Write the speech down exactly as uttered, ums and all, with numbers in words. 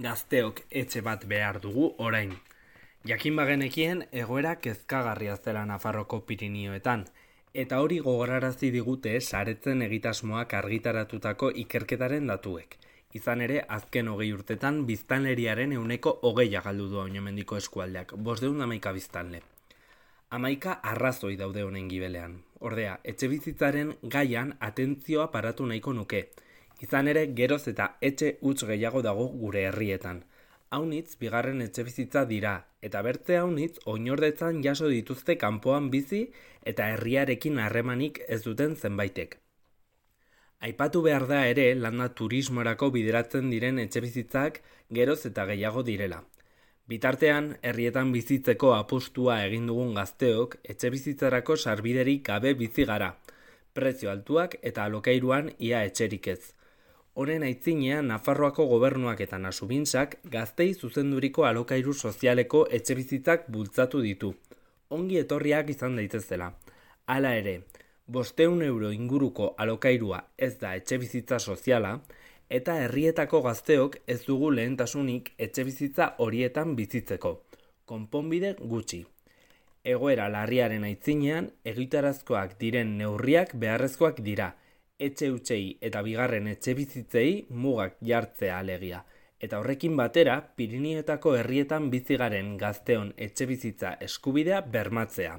Gazteok etxe bat behar dugu orain. Jakin bagenekien egoera kezkagarria zela Nafarroko Pirinioetan, eta hori gogorarazi digute saretzen egitasmoak argitaratutako ikerketaren datuek. Izan ere, azken hogei urtetan biztanleriaren ehuneko hogeia galdu du oinomendiko eskualdeak, bosdeun hamaika biztanle. Hamaika arrazoi daude honen gibelean. Ordea, etxe bizitzaren gaian atentzioa paratu nahiko nuke. Izan ere, geroz eta etxe huts gehiago dago gure herrietan. Haunitz, bigarren etxe bizitza dira, eta bertze haunitz, oinordetzan jaso dituzte kanpoan bizi eta herriarekin harremanik ez duten zenbaitek. Aipatu behar da ere, landa turismorako bideratzen diren etxe bizitzak geroz eta gehiago direla. Bitartean, herrietan bizitzeko apustua egin dugun gazteok, etxe bizitzarako sarbiderik gabe bizi gara. Prezio altuak eta alokairuan ia etxerik ez. Honen aitzinean, Nafarroako gobernuak eta Nasubintzak gaztei zuzenduriko alokairu sozialeko etxe bizitzak bultzatu ditu. Ongi etorriak izan daitezela. Hala ere, bosteun euro inguruko alokairua ez da etxe bizitza soziala, eta herrietako gazteok ez dugu lehentasunik etxe bizitza horietan bizitzeko. Konponbide gutxi. Egoera larriaren aitzinean, egitarazkoak diren neurriak beharrezkoak dira, etxe hutsei eta bigarren etxe bizitzei mugak jartzea alegia. Eta horrekin batera, Pirinioetako herrietan bizi garen gazteon etxe bizitza eskubidea bermatzea.